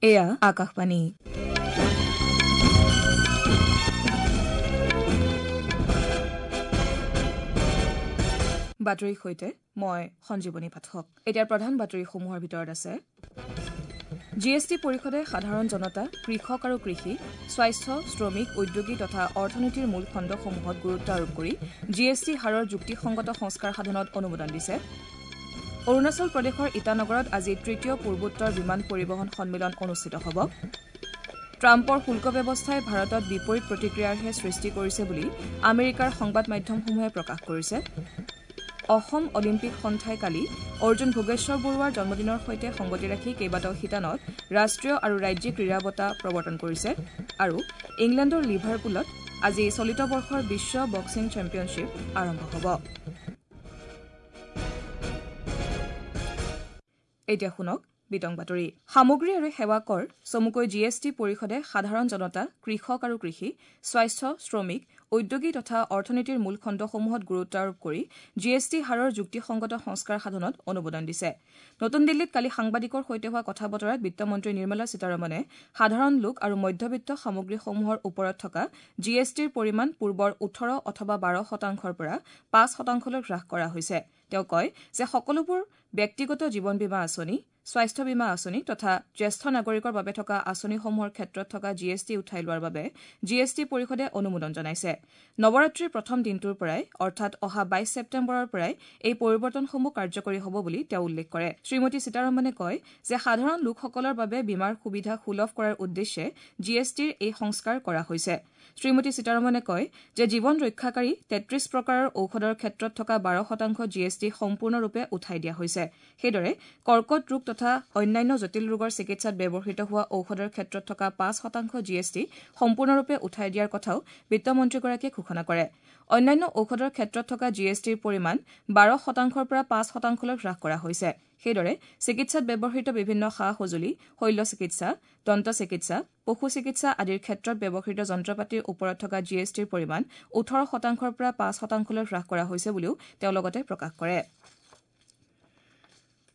এয়া আকাশবাণী। বাতৰিৰ সৈতে মই সঞ্জীৱনী পাঠক। এতিয়া প্ৰধান বাতৰিসমূহৰ ভিতৰত আছে জি এছ টি পৰিষদে সাধাৰণ জনতা, কৃষক আৰু কৃষি, স্বাস্থ্য, শ্ৰমিক, উদ্যোগী তথা অৰ্থনীতিৰ মূল খণ্ডসমূহত গুৰুত্ব আৰোপ কৰি জি এছ টি হাৰৰ যুক্তিসংগত সংস্কাৰ সাধনত অনুমোদন দিছে। অৰুণাচল প্ৰদেশৰ ইটানগৰত আজি তৃতীয় পূৰ্বোত্তৰ বিমান পৰিবহণ সন্মিলন অনুষ্ঠিত হ'ব। ট্ৰাম্পৰ শুল্ক ব্যৱস্থাই ভাৰতত বিপৰীত প্ৰতিক্ৰিয়াৰহে সৃষ্টি কৰিছে বুলি আমেৰিকাৰ সংবাদ মাধ্যমসমূহে প্ৰকাশ কৰিছে। অসম অলিম্পিক সন্থাই কালি অৰ্জুন ভোগেশ্বৰ বৰুৱাৰ জন্মদিনৰ সৈতে সংগতি ৰাখি কেইবাটাও শিতানত ৰাষ্ট্ৰীয় আৰু ৰাজ্যিক ক্ৰীড়া বঁটা প্ৰৱৰ্তন কৰিছে। আৰু ইংলেণ্ডৰ লিভাৰপুলত আজি চলিত বৰ্ষৰ বিশ্ব বক্সিং চেম্পিয়নশ্বিপ আৰম্ভ হ'ব। এতিয়া শুনক বিতং বাতৰি। সামগ্ৰী আৰু সেৱা কৰ চমুকৈ জি এছ টি পৰিষদে সাধাৰণ জনতা, কৃষক আৰু কৃষি, স্বাস্থ্য, শ্ৰমিক, উদ্যোগী তথা অৰ্থনীতিৰ মূল খণ্ডসমূহত গুৰুত্ব আৰোপ কৰি জি এছ টি হাৰৰ যুক্তিসংগত সংস্কাৰ সাধনত অনুমোদন দিছে। নতুন দিল্লীত কালি সাংবাদিকৰ সৈতে হোৱা কথা বতৰাত বিত্তমন্ত্ৰী নিৰ্মলা সীতাৰমণে সাধাৰণ লোক আৰু মধ্যবিত্ত সামগ্ৰীসমূহৰ ওপৰত থকা জি এছ টিৰ পৰিমাণ পূৰ্বৰ 18 অথবা 12% পৰা 5% হ্ৰাস কৰা হৈছে। তেওঁ কয় যে সকলোবোৰ ব্যক্তিগত জীৱন বীমা আঁচনি, স্বাস্থ্য বীমা আঁচনি তথা জ্যেষ্ঠ নাগৰিকৰ বাবে থকা আঁচনিসমূহৰ ক্ষেত্ৰত থকা জি এছ টি উঠাই লোৱাৰ বাবে জি এছ টি পৰিষদে অনুমোদন জনাইছে। নৱৰাত্ৰিৰ প্ৰথম দিনটোৰ পৰাই অৰ্থাৎ অহা 22 ছেপ্টেম্বৰৰ পৰাই এই পৰিৱৰ্তনসমূহ কাৰ্যকৰী হ'ব বুলি তেওঁ উল্লেখ কৰে। শ্ৰীমতী সীতাৰমণে কয় যে সাধাৰণ লোকসকলৰ বাবে বীমাৰ সুবিধা সুলভ কৰাৰ উদ্দেশ্যে জি এছ টিৰ এই সংস্কাৰ কৰা হৈছে। শ্ৰীমতী সীতাৰমণে কয় যে জীৱন ৰক্ষাকাৰী 33 প্ৰকাৰৰ ঔষধৰ ক্ষেত্ৰত থকা 12% জি এছ টি সম্পূৰ্ণৰূপে উঠাই দিয়া হৈছে। সেইদৰে কৰ্কট ৰোগ তথা অন্যান্য জটিল ৰোগৰ চিকিৎসাত ব্যৱহৃত হোৱা ঔষধৰ ক্ষেত্ৰত থকা 5% জি এছ টি সম্পূৰ্ণৰূপে উঠাই দিয়াৰ কথাও বিত্তমন্ত্ৰীগৰাকীয়ে ঘোষণা কৰে। অন্যান্য ঔষধৰ ক্ষেত্ৰত থকা জি এছ টিৰ পৰিমাণ 12% পৰা 5%লৈ হ্ৰাস কৰা হৈছে। সেইদৰে চিকিৎসাত ব্যৱহৃত বিভিন্ন সা সঁজুলি, শল্য চিকিৎসা, দন্ত চিকিৎসা, পশু চিকিৎসা আদিৰ ক্ষেত্ৰত ব্যৱহৃত যন্ত্ৰপাতিৰ ওপৰত থকা জি এছ টিৰ পৰিমাণ 18% পৰা 5%লৈ হ্ৰাস কৰা হৈছে বুলিও তেওঁ লগতে প্ৰকাশ কৰে।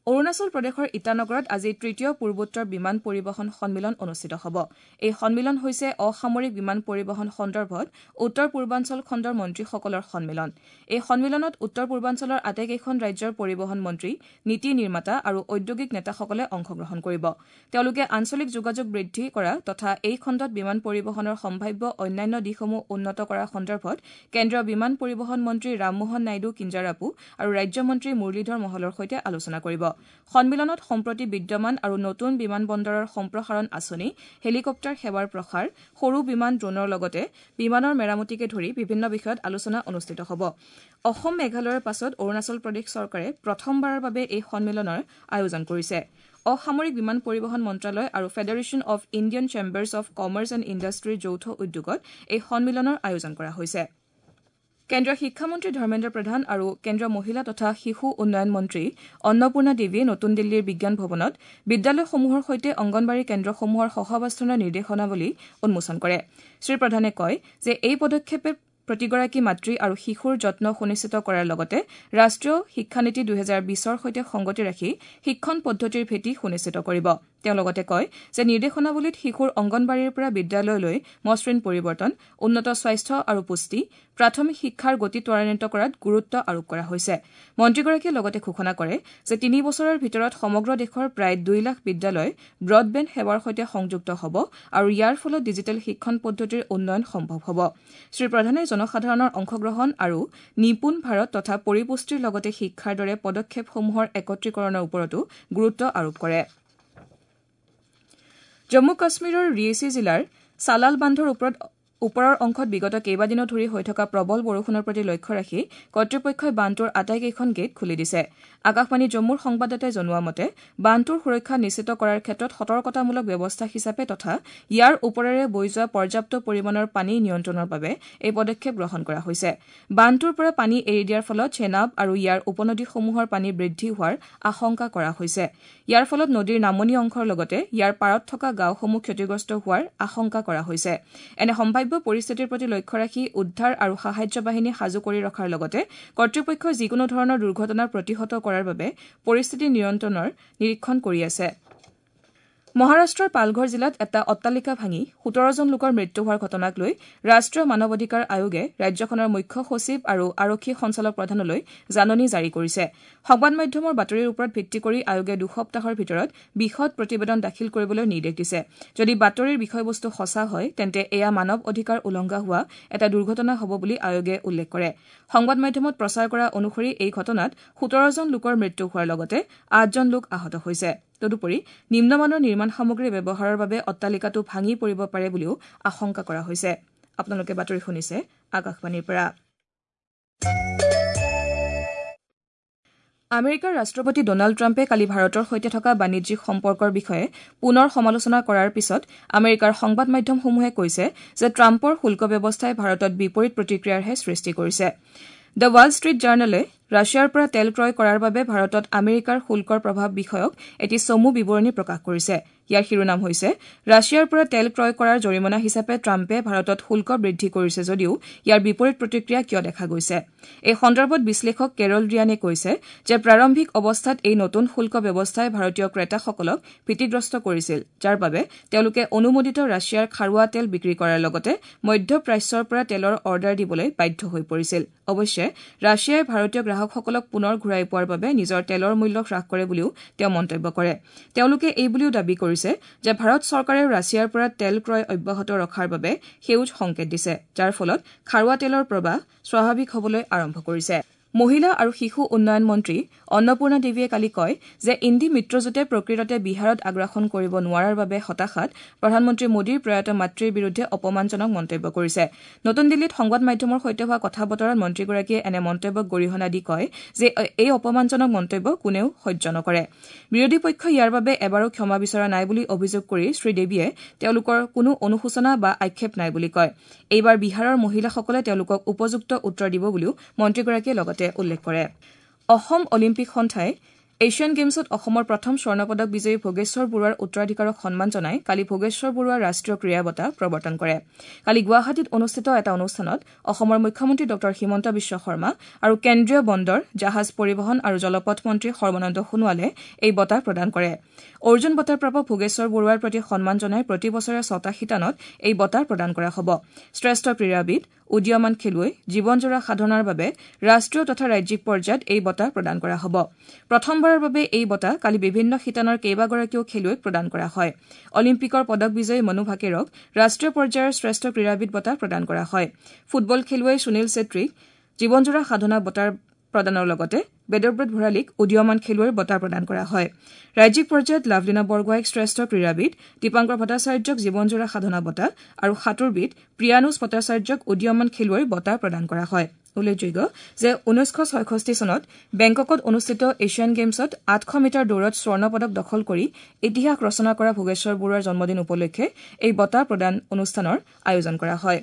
অৰুণাচল প্ৰদেশৰ ইটানগৰত আজি তৃতীয় পূৰ্বোত্তৰ বিমান পৰিবহণ সন্মিলন অনুষ্ঠিত হ'ব। এই সন্মিলন হৈছে অসামৰিক বিমান পৰিবহণ সন্দৰ্ভত উত্তৰ পূৰ্বাঞ্চল খণ্ডৰ মন্ত্ৰীসকলৰ সন্মিলন। এই সন্মিলনত উত্তৰ পূৰ্বাঞ্চলৰ আটাইকেইখন ৰাজ্যৰ পৰিবহণ মন্ত্ৰী, নীতি নিৰ্মাতা আৰু ঔদ্যোগিক নেতাসকলে অংশগ্ৰহণ কৰিব। তেওঁলোকে আঞ্চলিক যোগাযোগ বৃদ্ধি কৰা তথা এই খণ্ডত বিমান পৰিবহণৰ সম্ভাৱ্য অন্যান্য দিশসমূহ উন্নত কৰাৰ সন্দৰ্ভত কেন্দ্ৰীয় বিমান পৰিবহণ মন্ত্ৰী ৰামমোহন নাইডু কিঞ্জাৰাপু আৰু ৰাজ্যমন্ত্ৰী মুৰলীধৰ মহলৰ সৈতে আলোচনা কৰিব। সন্মিলনত সম্প্ৰতি বিদ্যমান আৰু নতুন বিমান বন্দৰৰ সম্প্ৰসাৰণ আঁচনি, হেলিকপ্টাৰ সেৱাৰ প্ৰসাৰ, সৰু বিমান, ড্ৰোনৰ লগতে বিমানৰ মেৰামতিকে ধৰি বিভিন্ন বিষয়ত আলোচনা অনুষ্ঠিত হ'ব। অসম, মেঘালয়ৰ পাছত অৰুণাচল প্ৰদেশ চৰকাৰে প্ৰথমবাৰৰ বাবে এই সন্মিলনৰ আয়োজন কৰিছে। অসামৰিক বিমান পৰিবহণ মন্ত্ৰালয় আৰু federation of Indian chambers of commerce and ইণ্ডাষ্ট্ৰীৰ যৌথ উদ্যোগত এই সন্মিলনৰ আয়োজন কৰা হৈছে। কেন্দ্ৰীয় শিক্ষামন্ত্ৰী ধৰ্মেন্দ্ৰ প্ৰধান আৰু কেন্দ্ৰীয় মহিলা তথা শিশু উন্নয়ন মন্ত্ৰী অন্নপূৰ্ণা দেৱীয়ে নতুন দিল্লীৰ বিজ্ঞান ভৱনত বিদ্যালয়সমূহৰ সৈতে অংগনবাড়ী কেন্দ্ৰসমূহৰ সহাৱস্থানৰ নিৰ্দেশনাৱলী উন্মোচন কৰে। শ্ৰীপ্ৰধানে কয় যে এই পদক্ষেপে প্ৰতিগৰাকী মাতৃ আৰু শিশুৰ যত্ন সুনিশ্চিত কৰাৰ লগতে ৰাষ্ট্ৰীয় শিক্ষানীতি 2020ৰ সৈতে সংগতি ৰাখি শিক্ষণ পদ্ধতিৰ ভেটি সুনিশ্চিত কৰিব। তেওঁ লগতে কয় যে নিৰ্দেশনাৱলীত শিশুৰ অংগনবাড়ীৰ পৰা বিদ্যালয়লৈ মসৃণ পৰিৱৰ্তন, উন্নত স্বাস্থ্য আৰু পুষ্টি, প্ৰাথমিক শিক্ষাৰ গতি ত্বৰান্বিত কৰাত গুৰুত্ব আৰোপ কৰা হৈছে। মন্ত্ৰীগৰাকীয়ে লগতে ঘোষণা কৰে যে 3 বছৰৰ ভিতৰত সমগ্ৰ দেশৰ প্ৰায় 2 লাখ বিদ্যালয় ব্ৰডবেণ্ড সেৱাৰ সৈতে সংযুক্ত হ'ব আৰু ইয়াৰ ফলত ডিজিটেল শিক্ষণ পদ্ধতিৰ উন্নয়ন সম্ভৱ হ'ব। শ্ৰীপ্ৰধানে জনসাধাৰণৰ অংশগ্ৰহণ আৰু নিপুণ ভাৰত তথা পৰিপুষ্টিৰ লগতে শিক্ষাৰ দৰে পদক্ষেপসমূহৰ একত্ৰীকৰণৰ ওপৰতো গুৰুত্ব আৰোপ কৰে। জম্মু কাশ্মীৰৰ ৰিয়েছি জিলাৰ চালাল বান্ধৰ ওপৰৰ অংশত বিগত কেইবাদিনো ধৰি হৈ থকা প্ৰবল বৰষুণৰ প্ৰতি লক্ষ্য ৰাখি কৰ্তৃপক্ষই বান্ধটোৰ আটাইকেইখন গেট খুলি দিছে। আকাশবাণী জম্মুৰ সংবাদদাতাই জনোৱা মতে বান্ধটোৰ সুৰক্ষা নিশ্চিত কৰাৰ ক্ষেত্ৰত সতৰ্কতামূলক ব্যৱস্থা হিচাপে তথা ইয়াৰ ওপৰেৰে বৈ যোৱা পৰ্যাপ্ত পৰিমাণৰ পানী নিয়ন্ত্ৰণৰ বাবে এই পদক্ষেপ গ্ৰহণ কৰা হৈছে। বান্ধটোৰ পৰা পানী এৰি দিয়াৰ ফলত চেনাব আৰু ইয়াৰ উপনদীসমূহৰ পানী বৃদ্ধি হোৱাৰ আশংকা কৰা হৈছে। ইয়াৰ ফলত নদীৰ নামনি অংশৰ লগতে ইয়াৰ পাৰত থকা গাঁওসমূহ ক্ষতিগ্ৰস্ত হোৱাৰ আশংকা কৰা হৈছে। এনে সম্ভাৱ্য পৰিস্থিতিৰ প্ৰতি লক্ষ্য ৰাখি উদ্ধাৰ আৰু সাহায্য বাহিনী সাজু কৰি ৰখাৰ লগতে কৰ্তৃপক্ষই যিকোনো ধৰণৰ দুৰ্ঘটনা প্ৰতিহত কৰাৰ বাবে পৰিস্থিতি নিয়ন্ত্ৰণৰ নিৰীক্ষণ কৰি আছে। মহাৰাষ্ট্ৰৰ পালঘৰ জিলাত এটা অট্টালিকা ভাঙি ১৭জন লোকৰ মৃত্যু হোৱাৰ ঘটনাক লৈ ৰাষ্ট্ৰীয় মানৱ অধিকাৰ আয়োগে ৰাজ্যখনৰ মুখ্য সচিব আৰু আৰক্ষী সঞ্চালক প্ৰধানলৈ জাননী জাৰি কৰিছে। সংবাদ মাধ্যমৰ বাতৰিৰ ওপৰত ভিত্তি কৰি আয়োগে ২ সপ্তাহৰ ভিতৰত বিশদ প্ৰতিবেদন দাখিল কৰিবলৈ নিৰ্দেশ দিছে। যদি বাতৰিৰ বিষয়বস্তু সঁচা হয়, তেন্তে এয়া মানৱ অধিকাৰ উলংঘা হোৱা এটা দুৰ্ঘটনা হ'ব বুলি আয়োগে উল্লেখ কৰে। সংবাদ মাধ্যমত প্ৰচাৰ কৰা অনুসৰি এই ঘটনাত ১৭জন লোকৰ মৃত্যু হোৱাৰ লগতে ৮জন লোক আহত হৈছে। তদুপৰি নিম্নমানৰ নিৰ্মাণ সামগ্ৰী ব্যৱহাৰৰ বাবে অট্টালিকাটো ভাঙি পৰিব পাৰে বুলিও আশংকা কৰা হৈছে। আপোনালোকে বাতৰি শুনিছে আকাশবাণীৰ পৰা। আমেৰিকাৰ ৰাষ্ট্ৰপতি ডনাল্ড ট্ৰাম্পে কালি ভাৰতৰ সৈতে থকা বাণিজ্যিক সম্পৰ্কৰ বিষয়ে পুনৰ সমালোচনা কৰাৰ পিছত আমেৰিকাৰ সংবাদ মাধ্যমসমূহে কৈছে যে ট্ৰাম্পৰ শুল্ক ব্যৱস্থাই ভাৰতত বিপৰীত প্ৰতিক্ৰিয়াৰহে সৃষ্টি কৰিছে। The Wall Street জাৰ্নেলে ৰাছিয়াৰ পৰা তেল ক্ৰয় কৰাৰ বাবে ভাৰতত আমেৰিকাৰ শুল্কৰ প্ৰভাৱ বিষয়ক এটি চমু বিৱৰণী প্ৰকাশ কৰিছে। ইয়াৰ শিৰোনাম হৈছে, ৰাছিয়াৰ পৰা তেল ক্ৰয় কৰাৰ জৰিমনা হিচাপে ট্ৰাম্পে ভাৰতত শুল্ক বৃদ্ধি কৰিছে যদিও ইয়াৰ বিপৰীত প্ৰতিক্ৰিয়া কিয় দেখা গৈছে। এই সন্দৰ্ভত বিশ্লেষক কেৰল ৰিয়ানে কৈছে যে প্ৰাৰম্ভিক অৱস্থাত এই নতুন শুল্ক ব্যৱস্থাই ভাৰতীয় ক্ৰেতাসকলক ভীতিগ্ৰস্ত কৰিছিল, যাৰ বাবে তেওঁলোকে অনুমোদিত ৰাছিয়াৰ খাৰুৱা তেল বিক্ৰী কৰাৰ লগতে মধ্য প্ৰাচ্যৰ পৰা তেলৰ অৰ্ডাৰ দিবলৈ বাধ্য হৈ পৰিছিল। অৱশ্যে ৰাছিয়াই ভাৰতীয় গ্ৰাহকসকলক পুনৰ ঘূৰাই পোৱাৰ বাবে নিজৰ তেলৰ মূল্য হ্ৰাস কৰে বুলিও তেওঁ মন্তব্য কৰে। তেওঁলোকে এই বুলিও দাবী কৰিছে যে ভাৰত চৰকাৰেও ৰাছিয়াৰ পৰা তেল ক্ৰয় অব্যাহত ৰখাৰ বাবে সেউজ সংকেত দিছে, যাৰ ফলত খাৰুৱা তেলৰ প্ৰবাহ স্বাভাৱিক হ'বলৈ আৰম্ভ কৰিছে। মহিলা আৰু শিশু উন্নয়ন মন্ত্ৰী অন্নপূৰ্ণা দেৱীয়ে কালি কয় যে ইণ্ডি মিত্ৰজোঁটে প্ৰকৃততে বিহাৰত আগ্ৰাসন কৰিব নোৱাৰাৰ বাবে হতাশাত প্ৰধানমন্ত্ৰী মোদীৰ প্ৰয়াত মাতৃৰ বিৰুদ্ধে অপমানজনক মন্তব্য কৰিছে। নতুন দিল্লীত সংবাদ মাধ্যমৰ সৈতে হোৱা কথা বতৰাত মন্ত্ৰীগৰাকীয়ে এনে মন্তব্যক গৰিহণা দি কয় যে এই অপমানজনক মন্তব্য কোনেও সহ্য নকৰে। বিৰোধী পক্ষই ইয়াৰ বাবে এবাৰো ক্ষমা বিচৰা নাই বুলি অভিযোগ কৰি শ্ৰীদেৱীয়ে তেওঁলোকৰ কোনো অনুশোচনা বা আক্ষেপ নাই বুলি কয়। এইবাৰ বিহাৰৰ মহিলাসকলে তেওঁলোকক উপযুক্ত উত্তৰ দিব বুলিও মন্ত্ৰীগৰাকীয়ে লগতে উল্লেখ কৰে। অসম অলিম্পিক সন্থাই এছিয়ান গেমছত অসমৰ প্ৰথম স্বৰ্ণ পদক বিজয়ী ভোগেশ্বৰ বৰুৱাৰ উত্তৰাধিকাৰক সন্মান জনাই কালি ভোগেশ্বৰ বৰুৱা ৰাষ্ট্ৰীয় ক্ৰীড়া বঁটা প্ৰৱৰ্তন কৰে। কালি গুৱাহাটীত অনুষ্ঠিত এটা অনুষ্ঠানত অসমৰ মুখ্যমন্ত্ৰী ডঃ হিমন্ত বিশ্ব শৰ্মা আৰু কেন্দ্ৰীয় বন্দৰ, জাহাজ পৰিবহণ আৰু জলপথ মন্ত্ৰী সৰ্বানন্দ সোণোৱালে এই বঁটা প্ৰদান কৰে। অৰ্জুন বঁটা প্ৰাপক ভোগেশ্বৰ বৰুৱাৰ প্ৰতি সন্মান জনাই প্ৰতি বছৰে ছটা শিতানত এই বঁটা প্ৰদান কৰা হ'ব। শ্ৰেষ্ঠ ক্ৰীড়াবিদ, উদীয়মান খেলুৱৈ, জীৱনজোৰা সাধনাৰ বাবে ৰাষ্ট্ৰীয় তথা ৰাজ্যিক পৰ্যায়ত এই বঁটা প্ৰদান কৰা হ'ব। প্ৰথমবাৰৰ বাবে এই বঁটা কালি বিভিন্ন শিতানৰ কেইবাগৰাকীও খেলুৱৈক প্ৰদান কৰা হয়। অলিম্পিকৰ পদক বিজয়ী মনু ভাকেৰক ৰাষ্ট্ৰীয় পৰ্যায়ৰ শ্ৰেষ্ঠ ক্ৰীড়াবিদ বঁটা প্ৰদান কৰা হয়। ফুটবল খেলুৱৈ সুনীল ছেত্ৰীক জীৱনজোৰা সাধনা বঁটা প্ৰদানৰ লগতে বেদব্ৰত ভৰালীক উদীয়মান খেলুৱৈৰ বঁটা প্ৰদান কৰা হয়। ৰাজ্যিক পৰ্যায়ত লাভলীনা বৰগোহাঁইক শ্ৰেষ্ঠ ক্ৰীড়াবিদ, দীপাংকৰ ভট্টাচাৰ্যক জীৱনজোৰা সাধনা বঁটা আৰু সাঁতোৰবিদ প্ৰিয়ানুজ ভট্টাচাৰ্যক উদীয়মান খেলুৱৈৰ বঁটা প্ৰদান কৰা হয়। উল্লেখযোগ্য যে ১৯৬৬ চনত বেংককত অনুষ্ঠিত এছিয়ান গেমছত ৮০০ মিটাৰ দৌৰত স্বৰ্ণ পদক দখল কৰি ইতিহাস ৰচনা কৰা ভোগেশ্বৰ বৰুৱাৰ জন্মদিন উপলক্ষে এই বঁটা প্ৰদান অনুষ্ঠানৰ আয়োজন কৰা হয়।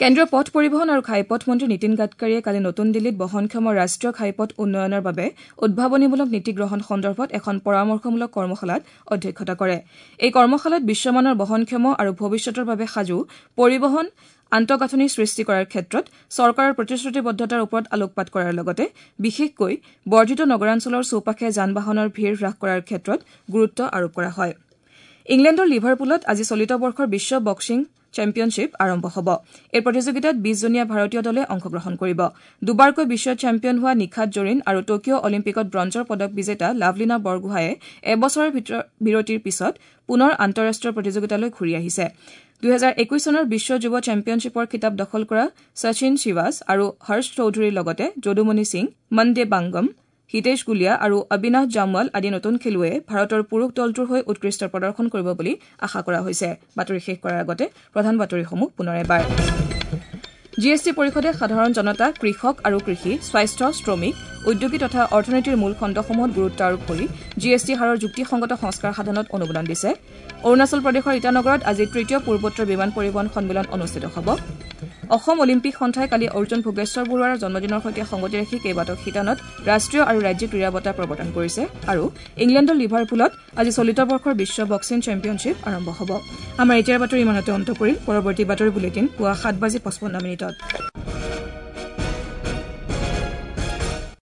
কেন্দ্ৰীয় পথ পৰিবহণ আৰু ঘাইপথ মন্ত্ৰী নীতিন গাডকাৰীয়ে কালি নতুন দিল্লীত বহনক্ষম ৰাষ্ট্ৰীয় ঘাইপথ উন্নয়নৰ বাবে উদ্ভাৱনীমূলক নীতি গ্ৰহণ সন্দৰ্ভত এখন পৰামৰ্শমূলক কৰ্মশালাত অধ্যক্ষতা কৰে। এই কৰ্মশালাত বিশ্বমানৰ বহনক্ষম আৰু ভৱিষ্যতৰ বাবে সাজু পৰিবহণ আন্তঃগাঁথনি সৃষ্টি কৰাৰ ক্ষেত্ৰত চৰকাৰৰ প্ৰতিশ্ৰুতিবদ্ধতাৰ ওপৰত আলোকপাত কৰাৰ লগতে বিশেষকৈ বৰ্ধিত নগৰাঞ্চলৰ চৌপাশে যান বাহনৰ ভিৰ হ্ৰাস কৰাৰ ক্ষেত্ৰত গুৰুত্ব আৰোপ কৰা হয়। ইংলেণ্ডৰ লিভাৰপুলত আজি চলিত বৰ্ষৰ বিশ্ব বক্সিং চেম্পিয়নশ্বিপ আৰম্ভ হ'ব। এই প্ৰতিযোগিতাত ২০জনীয়া ভাৰতীয় দলে অংশগ্ৰহণ কৰিব। দুবাৰকৈ বিশ্ব চেম্পিয়ন হোৱা নিখাত জৰীন আৰু টকিঅ' অলিম্পিকত ব্ৰঞ্জৰ পদক বিজেতা লাভলীনা বৰগোহাঁয়ে এবছৰৰ বিৰতিৰ পিছত পুনৰ আন্তঃৰাষ্ট্ৰীয় প্ৰতিযোগিতালৈ ঘূৰি আহিছে। ২০২১ চনৰ বিশ্ব যুৱ চেম্পিয়নশ্বিপৰ খিতাপ দখল কৰা শচীন শিৱাছ আৰু হৰ্ষ চৌধুৰীৰ লগতে যদুমণি সিং, মনদে বাংগম, হিতেশ গুলিয়া আৰু অবিনাশ জামৱাল আদি নতুন খেলুৱৈয়ে ভাৰতৰ পুৰুষ দলটোৰ হৈ উৎকৃষ্ট প্ৰদৰ্শন কৰিব বুলি আশা কৰা হৈছে। বাতৰি শেষ কৰাৰ আগতে প্ৰধান বাতৰিসমূহ পুনৰ এবাৰ। জিএছটি পৰিষদে সাধাৰণ জনতা, কৃষক আৰু কৃষি, স্বাস্থ্য, শ্ৰমিক, উদ্যোগী তথা অৰ্থনীতিৰ মূল খণ্ডসমূহত গুৰুত্ব আৰোপ কৰি জিএছটি হাৰৰ যুক্তিসংগত সংস্কাৰ সাধনত অনুমোদন দিছে। অৰুণাচল প্ৰদেশৰ ইটানগৰত আজি তৃতীয় পূৰ্বোত্তৰ বিমান পৰিবহণ সন্মিলন অনুষ্ঠিত হ'ব। অসম অলিম্পিক সন্থাই কালি অৰ্জুন ভোগেশ্বৰ বৰুৱাৰ জন্মদিনৰ সৈতে সংগতি ৰাখি কেইবাটাও শিতানত ৰাষ্ট্ৰীয় আৰু ৰাজ্যিক ক্ৰীড়া বঁটা প্ৰৱৰ্তন কৰিছে। আৰু ইংলেণ্ডৰ লিভাৰপুলত আজি চলিত বৰ্ষৰ বিশ্ব বক্সিং চেম্পিয়নশ্বিপ আৰম্ভ হ'ব। আমাৰ এতিয়াৰ বাতৰি ইমানতে অন্ত পৰিল। পৰৱৰ্তী বাতৰি বুলেটিন পুৱা ৭:৫৫।